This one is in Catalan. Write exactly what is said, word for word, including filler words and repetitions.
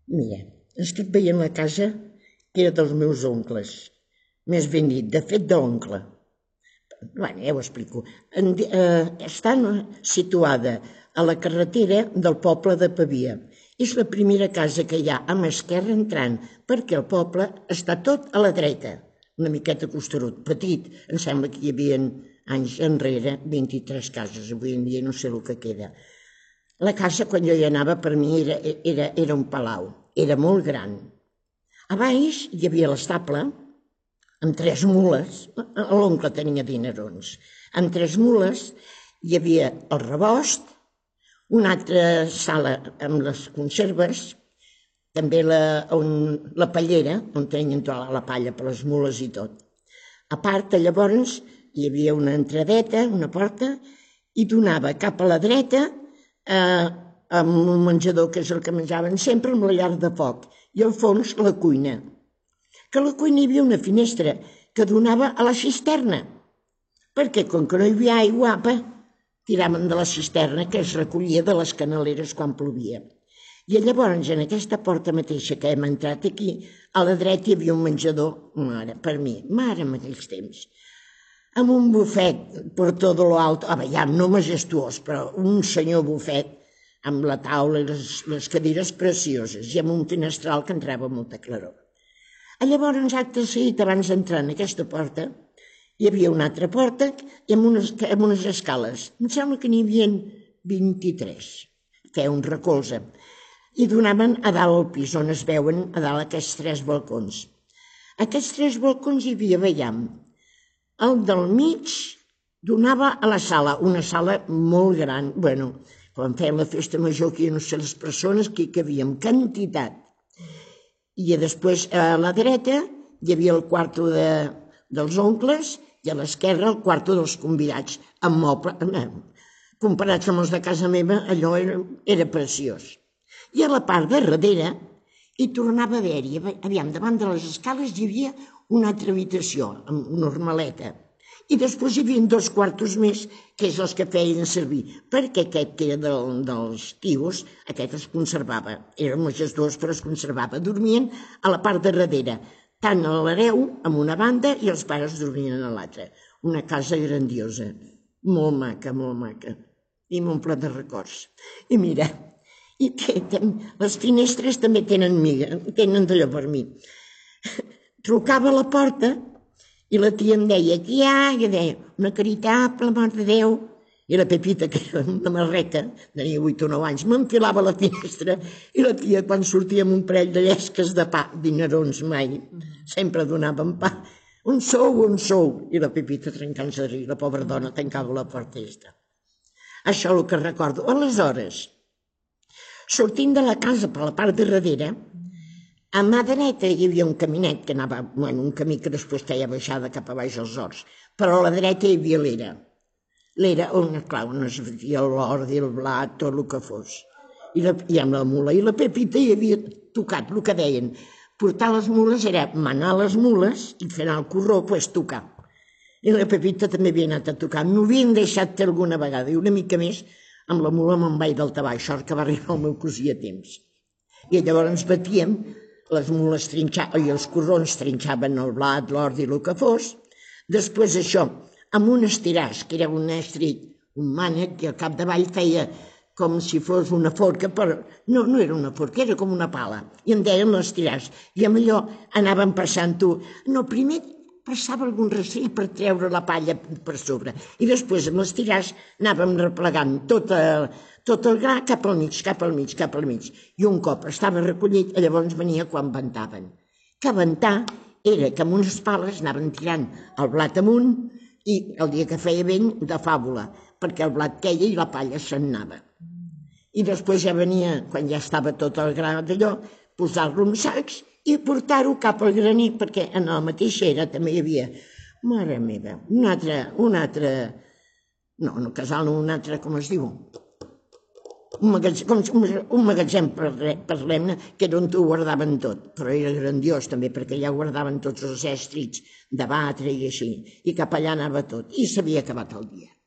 Mira, estic veient la casa que era dels meus oncles. Més ben dit, de fet d'oncle. Bé, ja ho explico. Està situada a la carretera del poble de Pavia. És la primera casa que hi ha a mà esquerra entrant, perquè el poble està tot a la dreta, una miqueta costerut, petit. Em sembla que hi havia anys enrere vint-i-tres cases, avui en dia no sé el que queda. La casa, quan jo hi anava, per mi era, era, era un palau, era molt gran. A baix hi havia l'estable, amb tres mules, l'oncle tenia dinerons, amb tres mules hi havia el rebost, una altra sala amb les conserves, també la, on, la pallera, on tenien tota la palla per les mules i tot. A part, llavors, hi havia una entradeta, una porta, i donava cap a la dreta eh, amb un menjador, que és el que menjaven sempre, amb la llar de foc, i al fons la cuina. Que a la cuina hi havia una finestra que donava a la cisterna, perquè com que no hi havia aigua, apa, tiraven de la cisterna que es recollia de les canaleres quan plovia. I llavors, en aquesta porta mateixa que hem entrat aquí, a la dreta hi havia un menjador, mare, per mi, mare en aquells temps, amb un bufet per tot lo alto, ah, ja no majestuós, però un senyor bufet, amb la taula i les, les cadires precioses, i amb un finestral que entrava molta claror. Llavors, acte seguit, abans d'entrar en aquesta porta, hi havia una altra porta i amb unes, amb unes escales. Em sembla que n'hi havia vint-i-tres, feia un recolze, i donaven a dalt al pis, on es veuen a dalt aquests tres balcons. Aquests tres balcons hi havia, veiem, el del mig donava a la sala, una sala molt gran, bueno, quan feien la festa major, que no sé les persones que hi cabien, quantitat. I després a la dreta hi havia el quarto de, dels oncles i a l'esquerra el quarto dels convidats, amb moble. Comparats amb els de casa meva, allò era, era preciós. I a la part de darrere hi tornava a haver-hi, aviam, davant de les escales hi havia una altra habitació, amb normaleta. I després hi havia dos quartos més, que és els que feien servir, perquè aquest que era del, dels tios, aquest es conservava. Era majestuós, però es conservava. Dormien a la part de darrere, tant a l'hereu, amb una banda, i els pares dormien a l'altra. Una casa grandiosa, molt maca, molt maca, i m'omple de records. I mira, i té, té, les finestres també tenen miga, tenen d'allò per mi. Trucava a la porta, i la tia em deia, qui hi ha? I jo deia, una caritable, mare de Déu. I la Pepita, que era una marreca, tenia vuit o nou anys, m'enfilava a la finestra i la tia, quan sortia amb un parell de llesques de pa, dinerons mai, sempre donaven pa. On sou, on sou? I la Pepita trencant-se de riure, la pobra dona tancava la porta i està. Això és el que recordo. Aleshores, sortint de la casa per la part de darrere, a mà dreta hi havia un caminet que anava, bueno, un camí que després feia baixada cap a baix als horts, però a la dreta hi havia l'era. L'era on, clar, on es veia l'ordi, el blat, tot el que fos. I, la, i amb la mula. I la Pepita hi havia tocat, el que deien. Portar les mules era manar les mules i fer anar el corró, doncs tocar. I la Pepita també havia anat a tocar. M'ho havien deixat fer alguna vegada, i una mica més amb la mula me'n vaig del tabaix, sort que va arribar el meu cosí a temps. I llavors ens batíem, les mules trinxaven, i els corrons trinxaven el blat, l'ordi, el que fos. Després això, amb un estiràs, que era un estrit, un mànec, que al capdavall feia com si fos una forca, però no, no era una forca, era com una pala. I en deien l'estiràs. I amb allò anàvem passant-ho. No, primer passava algun rastrell per treure la palla per sobre. I després amb l'estiràs anàvem replegant tot el, tot el gra cap al mig, cap al mig, cap al mig. I un cop estava recollit, llavors venia quan ventaven. Que ventar era que amb unes pales anaven tirant el blat amunt i el dia que feia vent de fàbula, perquè el blat queia i la palla se'n anava. I després ja venia, quan ja estava tot el gra d'allò, posar-lo en sacs i portar-ho cap al graner, perquè en la mateixa era també hi havia, mare meva, un altre, un altre, no, no casal, no, un altre, com es diu? Un magatzem, un magatzem, parlem-ne, que era on ho guardaven tot, però era grandiós també, perquè allà guardaven tots els èstrits de batre i així, i cap allà anava tot, i s'havia acabat el dia.